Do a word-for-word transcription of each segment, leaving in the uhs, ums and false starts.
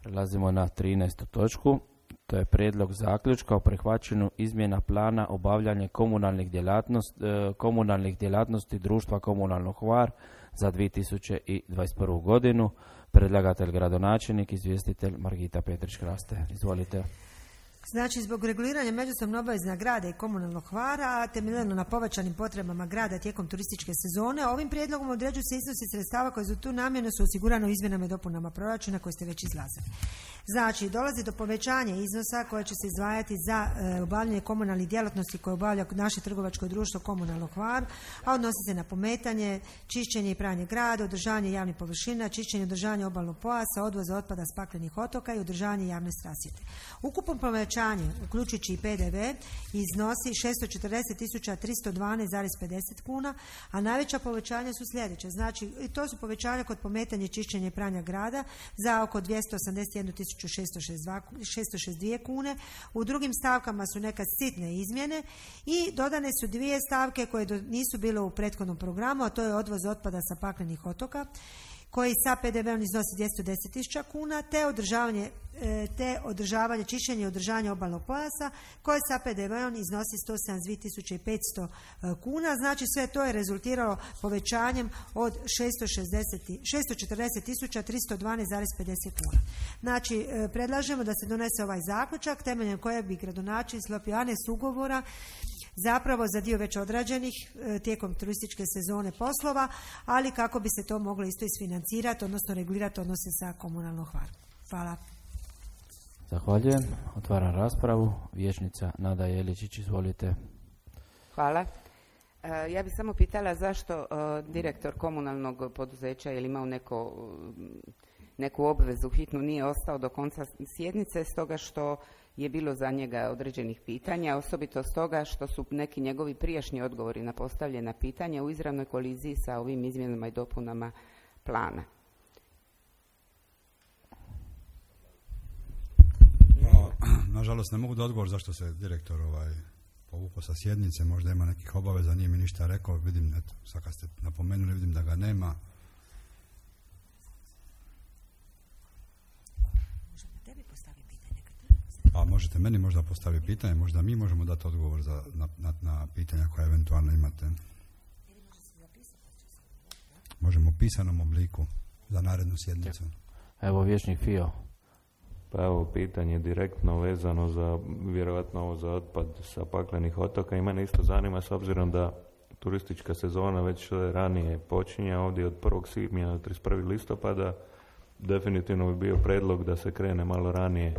Prelazimo na trinaestu točku. To je prijedlog zaključka o prihvaćanju izmjena plana obavljanja komunalnih djelatnosti, komunalnih djelatnosti društva Komunalno Hvar za dvije tisuće dvadeset prvu godinu. Predlagatelj gradonačelnik, izvjestitelj Margita Petrić-Kraste. Izvolite. Znači, zbog reguliranja međusobno obavezna grada i Komunalnog Hvara, temeljeno na povećanim potrebama grada tijekom turističke sezone, ovim prijedlogom određuju se iznosi sredstava koje za tu namjenu su osigurano u izmjenama i dopunama proračuna koje ste već izglasali. Znači, dolazi do povećanja iznosa koje će se izdvajati za e, obavljanje komunalnih djelatnosti koje obavlja naše trgovačko društvo Komunalno Hvar, a odnosi se na pometanje, čišćenje i pranje grada, održavanje javnih površina, čišćenje i održavanje obalnog pojasa, odvoza otpada s paklenih otoka i održavanje javne rasvjete. Ukupno povećanje, uključujući i P D V, iznosi šesto četrdeset tisuća tristo dvanaest zarez pedeset kuna, a najveća povećanja su sljedeće. Znači, to su povećanja kod pometanja, čišćenja i pranja grada za oko dvjesto osamdeset jednu tisuću šesto šezdeset dvije kune. U drugim stavkama su neka sitne izmjene i dodane su dvije stavke koje do, nisu bile u prethodnom programu, a to je odvoz otpada sa paklenih otoka, koji sa P D V-om iznosi dvjesto deset tisuća kuna, te održavanje, te održavanje, čišćenje i održavanje obalnog pojasa, koje sa P D V-om iznosi sto sedamdeset dvije tisuće petsto kuna. Znači, sve to je rezultiralo povećanjem od šesto četrdeset tisuća tristo dvanaest zarez pedeset kuna. Znači, predlažemo da se donese ovaj zaključak temeljem kojeg bi gradonačelnik sklopio aneks ugovora zapravo za dio već odrađenih e, tijekom turističke sezone poslova, ali kako bi se to moglo isto isfinancirati, odnosno regulirati odnose sa Komunalnom Hvarom. Hvala. Zahvaljujem. Otvaram raspravu. Vijećnica Nada Jeličić, izvolite. Hvala. E, ja bih samo pitala zašto e, direktor komunalnog poduzeća je li imao neko, neku obvezu hitnu, nije ostao do konca sjednice, stoga što je bilo za njega određenih pitanja, osobito stoga što su neki njegovi prijašnji odgovori na postavljena pitanja u izravnoj koliziji sa ovim izmjenama i dopunama plana. No, nažalost, ne mogu da odgovor zašto se direktor ovaj, povukao sa sjednice, možda ima nekih obaveza, nije mi ništa rekao, vidim, eto, sad kad ste napomenuli, vidim da ga nema. A možete meni možda postaviti pitanje, možda mi možemo dati odgovor za, na, na, na pitanja koja eventualno imate. Možemo u pisanom obliku za narednu sjednicu. Evo, vijećnik Fio. Pa evo, pitanje direktno vezano za, vjerojatno ovo za otpad sa paklenih otoka. I mene isto zanima, s obzirom da turistička sezona već ranije počinje, ovdje od prvog svibnja do trideset prvog listopada, definitivno bi bio predlog da se krene malo ranije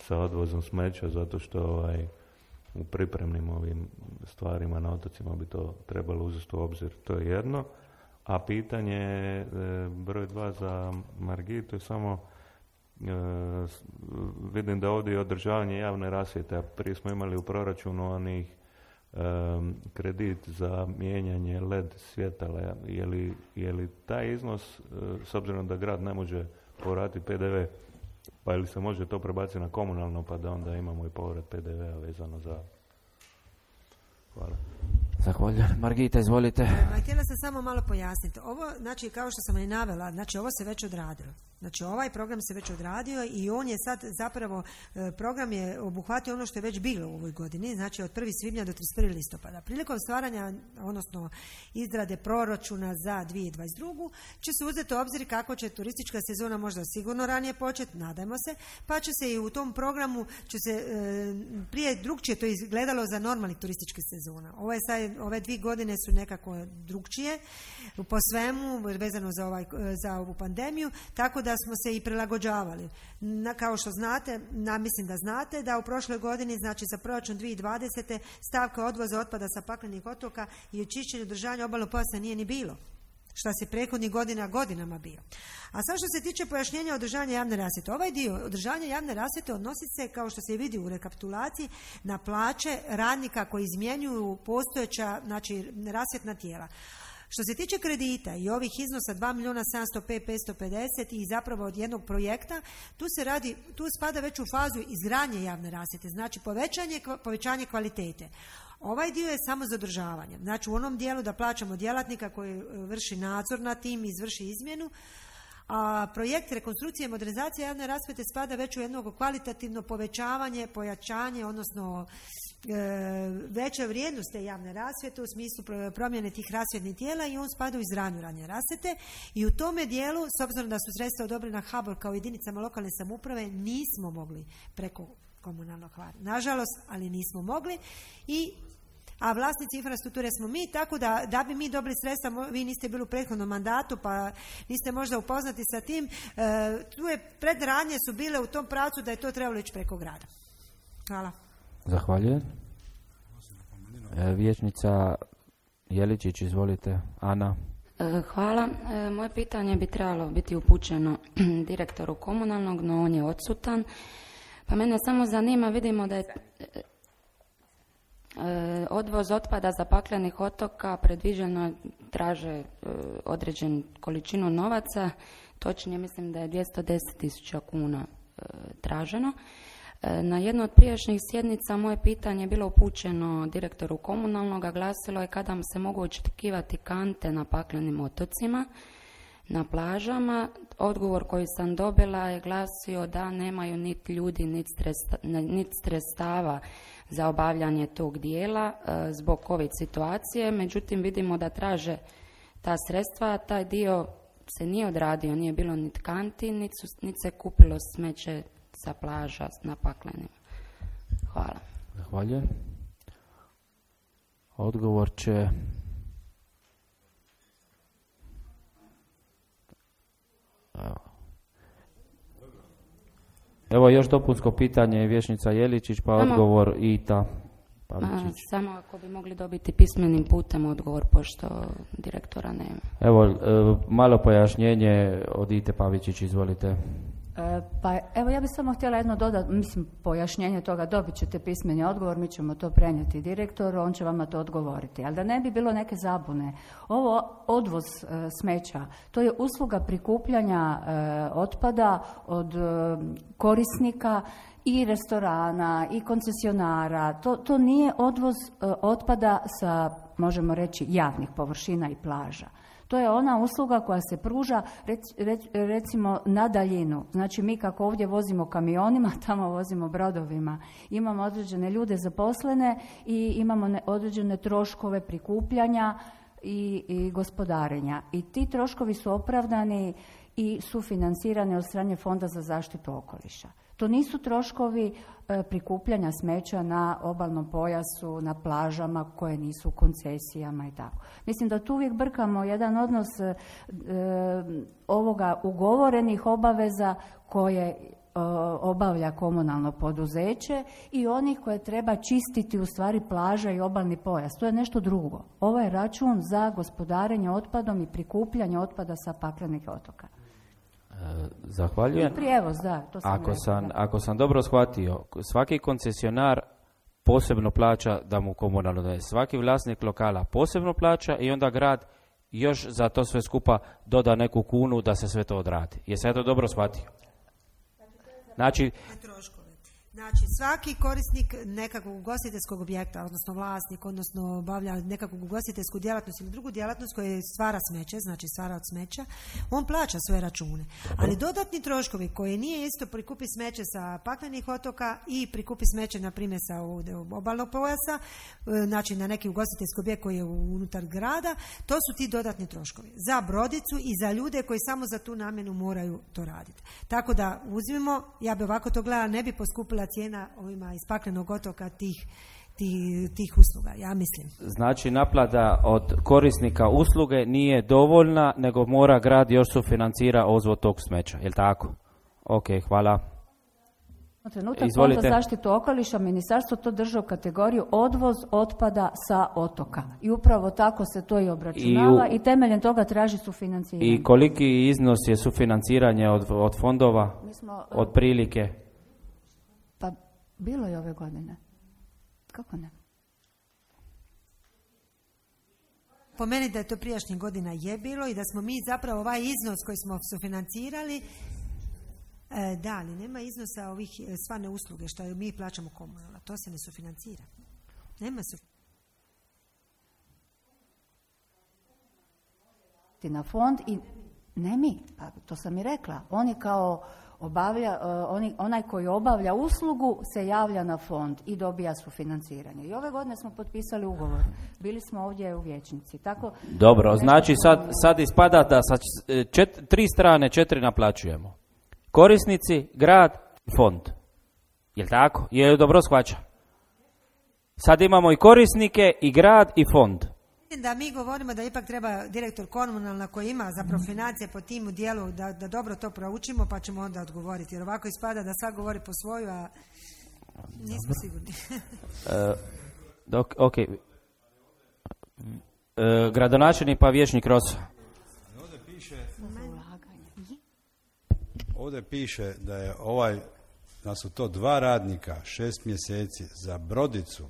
sa odvozom smeća, zato što ovaj, u pripremnim ovim stvarima na otocima bi to trebalo uzeti u obzir. To je jedno. A pitanje e, broj dva za Margitu je samo e, vidim da ovdje je održavanje javne rasvjete, a prije smo imali u proračunu onih e, kredit za mijenjanje L E D svjetala. Je li, je li taj iznos, e, s obzirom da grad ne može povratiti P D V, pa ili se može to prebaciti na komunalno, pa da onda imamo i povrat P D V-a vezano za... Hvala. Zahvaljujem. Margita, izvolite. Ma, htjela sam samo malo pojasniti. Ovo, znači, kao što sam i navela, znači, ovo se već odradilo. Znači, ovaj program se već odradio i on je sad zapravo, program je obuhvatio ono što je već bilo u ovoj godini, znači od prvog svibnja do trideset prvog listopada. Prilikom stvaranja, odnosno izrade proračuna za dvije tisuće dvadeset drugu će se uzeti u obzir kako će turistička sezona možda sigurno ranije početi, nadajmo se, pa će se i u tom programu, će se e, prije drugčije to izgledalo za normalnih turističkih sezona. Ovo je sad, ove dvije godine su nekako drugčije po svemu, vezano za, ovaj, za ovu pandemiju, tako da smo se i prilagođavali. Na, kao što znate, na, mislim da znate, da u prošloj godini, znači za proračun dvije tisuće dvadesete stavka odvoza otpada sa paklenih otoka i očišćenje održavanja obalnog pojasa nije ni bilo, što se prethodnih godina godinama bio. A sad što se tiče pojašnjenja održavanja javne rasvjete, ovaj dio održavanja javne rasvjete odnosi se, kao što se vidi u rekapitulaciji, na plaće radnika koji izmjenjuju postojeća, znači, rasvjetna tijela. Što se tiče kredita i ovih iznosa dva milijuna sedamsto pet tisuća petsto pedeset i zapravo od jednog projekta, tu se radi, tu spada već u fazu izgradnje javne rasvjete, znači povećanje, povećanje kvalitete. Ovaj dio je samo za održavanje. Znači u onom dijelu da plaćamo djelatnika koji vrši nadzor nad tim i izvrši izmjenu, A projekt rekonstrukcije i modernizacije javne rasvjete spada već u jedno kvalitativno povećavanje, pojačanje, odnosno e, veća vrijednost te javne rasvjete u smislu promjene tih rasvjetnih tijela i on spada u izgradnju radne rasvjete i u tome dijelu, s obzirom da su sredstva odobrena H B O R kao jedinicama lokalne samouprave, nismo mogli preko komunalnog hvara. Nažalost, ali nismo mogli i a vlasnici infrastrukture smo mi, tako da da bi mi dobili sredstva, vi niste bili u prethodnom mandatu, pa niste možda upoznati sa tim, e, tu je predradnje su bile u tom pravcu da je to trebalo ići preko grada. Hvala. Zahvaljujem. E, vijećnica Jeličić, izvolite. Ana. Hvala. E, moje pitanje bi trebalo biti upućeno direktoru komunalnog, no on je odsutan. Pa mene samo zanima, vidimo da je odvoz otpada zapaklenih otoka predviđeno traže određenu količinu novaca, točnije mislim da je dvjesto deset tisuća kuna traženo. Na jednu od prijašnjih sjednica moje pitanje je bilo upućeno direktoru komunalnog, a glasilo je kada se mogu očekivati kante na paklenim otocima, na plažama. Odgovor koji sam dobila je glasio da nemaju niti ljudi, niti sredstava za obavljanje tog dijela e, zbog COVID situacije, međutim vidimo da traže ta sredstva, taj dio se nije odradio, nije bilo niti kanti, niti, niti se kupilo smeće sa plaža na paklenima. Hvala. Zahvaljujem. Odgovor će Evo. Evo još dopunsko pitanje, vijećnica Jeličić, pa samo, odgovor Ita Pavičić. Samo ako bi mogli dobiti pismenim putem odgovor, pošto direktora nema. Evo, e, malo pojašnjenje od Ite Pavičić, izvolite. E, pa evo ja bih samo htjela jedno dodati, mislim pojašnjenje toga, dobit ćete pismeni odgovor, mi ćemo to prenijeti direktoru, on će vama to odgovoriti. Ali da ne bi bilo neke zabune, ovo odvoz e, smeća, to je usluga prikupljanja e, otpada od e, korisnika i restorana i koncesionara, to, to nije odvoz e, otpada sa, možemo reći, javnih površina i plaža. To je ona usluga koja se pruža rec, rec, recimo na daljinu. Znači mi kako ovdje vozimo kamionima, tamo vozimo brodovima. Imamo određene ljude zaposlene i imamo ne, određene troškove prikupljanja i, i gospodarenja. I ti troškovi su opravdani i sufinancirani od strane Fonda za zaštitu okoliša. To nisu troškovi e, prikupljanja smeća na obalnom pojasu, na plažama koje nisu u koncesijama i tako. Mislim da tu uvijek brkamo jedan odnos e, ovoga ugovorenih obaveza koje e, obavlja komunalno poduzeće i onih koje treba čistiti u stvari plaža i obalni pojas. To je nešto drugo. Ovo je račun za gospodarenje otpadom i prikupljanje otpada sa paklenih otoka. Zahvaljujem. Prijevoz, da, to sam ako, rekla, sam, da. ako sam dobro shvatio, svaki koncesionar posebno plaća da mu komunalno daje. Svaki vlasnik lokala posebno plaća i onda grad još za to sve skupa doda neku kunu da se sve to odradi. Jesam ja to dobro shvatio? Znači, Znači, svaki korisnik nekakvog ugostiteljskog objekta, odnosno vlasnik, odnosno obavlja nekakvu ugostiteljsku djelatnost ili drugu djelatnost koja stvara smeće, znači stvara od smeća, on plaća svoje račune. Dobro. Ali dodatni troškovi koji nije isto prikupi smeće sa paklenih otoka i prikupi smeće, na primjer, sa obalnog pojasa, znači na neki ugostiteljski objekt koji je unutar grada, to su ti dodatni troškovi. Za brodicu i za ljude koji samo za tu namjenu moraju to raditi. Tako da uzmimo, ja bi ovako to gledala, ne bi poskupila cijena ovima iz paklenog otoka tih, tih, tih usluga, ja mislim. Znači naplata od korisnika usluge nije dovoljna, nego mora grad još sufinancira odvoz tog smeća, je li tako? Ok, hvala. Trenutak Fond za zaštitu okoliša, ministarstvo to drži u kategoriju odvoz otpada sa otoka. I upravo tako se to i obračunava i, u, i temeljem toga traži sufinanciranje. I koliki iznos je sufinanciranje od, od fondova? Mi smo, od prilike? Pa bilo je ove godine. Kako ne? Po meni da je to prijašnjih godina je bilo i da smo mi zapravo ovaj iznos koji smo sufinancirali, e, da, ali nema iznosa ovih svane usluge što mi plaćamo komunalno. To se ne sufinancira. Nema sufinancira. Na fond i Ne mi, pa to sam i rekla. Oni kao obavlja, uh, oni, onaj koji obavlja uslugu se javlja na fond i dobija sufinanciranje. I ove godine smo potpisali ugovor. Bili smo ovdje u vijećnici. Tako, dobro, znači sad, sad ispada da sa čet, tri strane četiri naplaćujemo. Korisnici, grad, fond. Jel' tako? Je dobro shvaća? Sad imamo i korisnike, i grad, i fond. Da mi govorimo da ipak treba direktor komunalna koji ima zapravo financije po timu dijelu da, da dobro to proučimo pa ćemo onda odgovoriti. Jer ovako ispada da svak govori po svoju, a nismo sigurni. uh, dok, ok. Uh, gradonačelnik pa vijećnik Rosa. Ovdje piše, ovdje piše da je ovaj, da su to dva radnika šest mjeseci za brodicu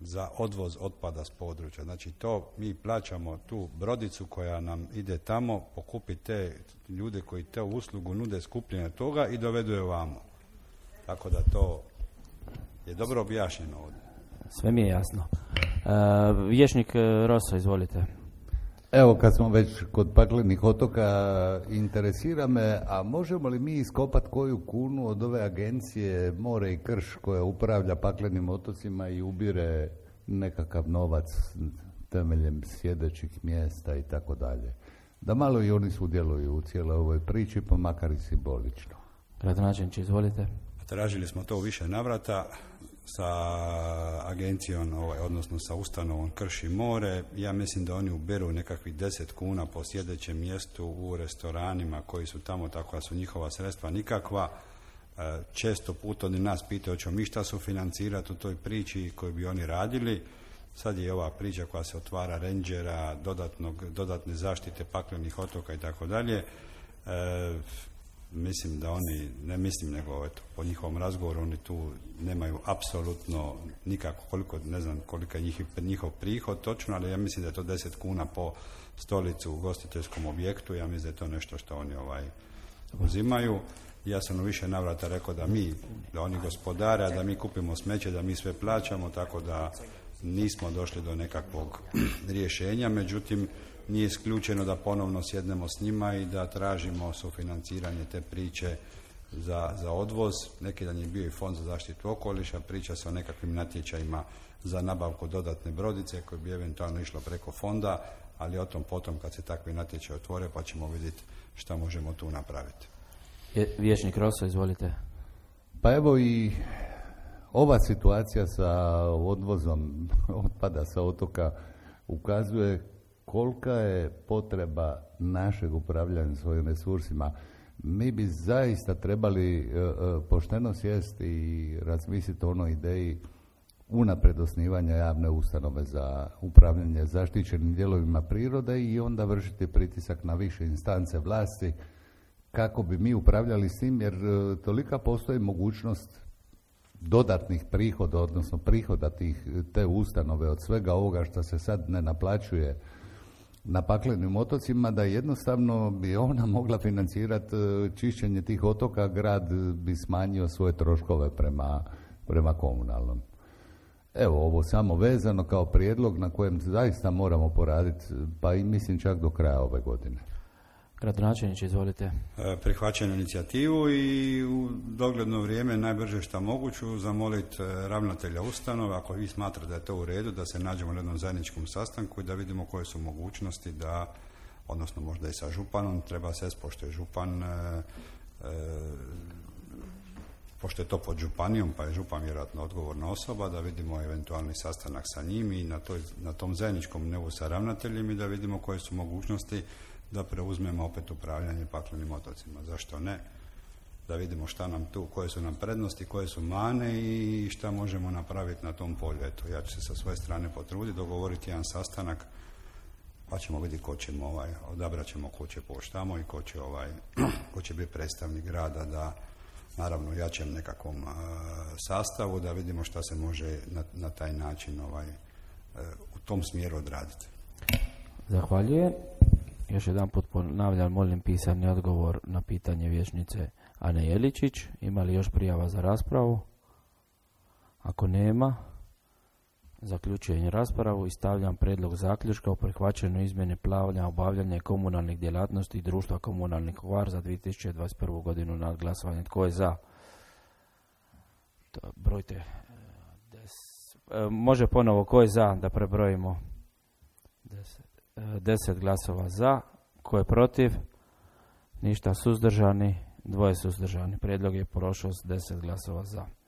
za odvoz otpada s područja. Znači to mi plaćamo tu brodicu koja nam ide tamo, pokupi te ljude koji te uslugu nude skupljenje toga i dovedu je ovamo. Tako da to je dobro objašnjeno ovdje. Sve mi je jasno. Uh, vijećnik Rosa, izvolite. Evo, kad smo već kod paklenih otoka, interesira me, a možemo li mi iskopati koju kunu od ove agencije More i Krš koja upravlja paklenim otocima i ubire nekakav novac temeljem sjedećih mjesta i tako dalje? Da malo i oni sudjeluju u cijeloj ovoj priči, pa makar i simbolično. Gradonačelniče, izvolite. Tražili smo to u više navrata sa agencijom, ovaj, odnosno sa ustanovom Krš i More. Ja mislim da oni uberu nekakvih deset kuna po sjedećem mjestu u restoranima koji su tamo, tako da su njihova sredstva nikakva. Često puta oni nas pitaju hoćemo mi šta sufinancirati u toj priči koju bi oni radili. Sad je ova priča koja se otvara rendžera, dodatnog, dodatne zaštite paklenih otoka i tako dalje. Mislim da oni, ne mislim nego eto, po njihovom razgovoru oni tu nemaju apsolutno nikako, koliko, ne znam kolika je njih, njihov prihod točno, ali ja mislim da je to deset kuna po stolicu u ugostiteljskom objektu. Ja mislim da je to nešto što oni ovaj uzimaju. Ja sam u više navrata rekao da mi, da oni gospodare, da mi kupimo smeće, da mi sve plaćamo, tako da nismo došli do nekakvog rješenja, međutim nije isključeno da ponovno sjednemo s njima i da tražimo sufinanciranje te priče za, za odvoz. Neki dan je bio i Fond za zaštitu okoliša, priča se o nekakvim natječajima za nabavku dodatne brodice koje bi eventualno išlo preko fonda, ali o tom potom kad se takvi natječaj otvore pa ćemo vidjeti šta možemo tu napraviti. Vijećnik Rosa, izvolite. Pa evo i ova situacija sa odvozom otpada sa otoka ukazuje kolika je potreba našeg upravljanja svojim resursima. Mi bi zaista trebali uh, pošteno sjesti i razmisliti o onoj ideji unaprijed osnivanja javne ustanove za upravljanje zaštićenim dijelovima prirode i onda vršiti pritisak na više instance vlasti kako bi mi upravljali s tim, jer uh, tolika postoji mogućnost dodatnih prihoda, odnosno prihoda tih, te ustanove od svega ovoga što se sad ne naplaćuje na paklenim otocima, da jednostavno bi ona mogla financirati čišćenje tih otoka, grad bi smanjio svoje troškove prema, prema komunalnom. Evo, ovo samo vezano kao prijedlog na kojem zaista moramo poraditi, pa i mislim čak do kraja ove godine. Gradonačelniče, izvolite. Prihvaćam inicijativu i u dogledno vrijeme najbrže što moguću zamoliti ravnatelja ustanova, ako vi smatrate da je to u redu, da se nađemo na jednom zajedničkom sastanku i da vidimo koje su mogućnosti da, odnosno možda i sa županom, treba se pošto je župan, e, e, pošto je to pod županijom, pa je župan vjerojatno odgovorna osoba, da vidimo eventualni sastanak sa njim i na, toj, na tom zajedničkom nevu sa ravnateljem i da vidimo koje su mogućnosti da preuzmemo opet upravljanje paklenim otocima. Zašto ne? Da vidimo šta nam tu, koje su nam prednosti, koje su mane i šta možemo napraviti na tom polju. Eto, ja ću se sa svoje strane potruditi, dogovoriti jedan sastanak, pa ćemo vidjeti ko ćemo, ovaj, odabrat ćemo ko će poći tamo i ko će, ovaj, ko će biti predstavnik grada, da naravno jačem nekakvom uh, sastavu, da vidimo šta se može na, na taj način ovaj, uh, u tom smjeru odraditi. Zahvaljujem. Još jedan put ponavljam, molim pisani odgovor na pitanje vijećnice Ane Jeličić. Ima li još prijava za raspravu? Ako nema, Zaključujem raspravu i stavljam prijedlog zaključka o prihvaćanju izmjene plana obavljanja komunalnih djelatnosti društva komunalnih Hvar za dvije tisuće dvadeset prvu godinu na glasovanje. Tko je za? To, brojte. Des, e, može ponovo, ko je za da prebrojimo? Deset, e, deset glasova za. Ko je protiv? Ništa. Suzdržani? Dvoje suzdržani. Prijedlog je prošao s deset glasova za.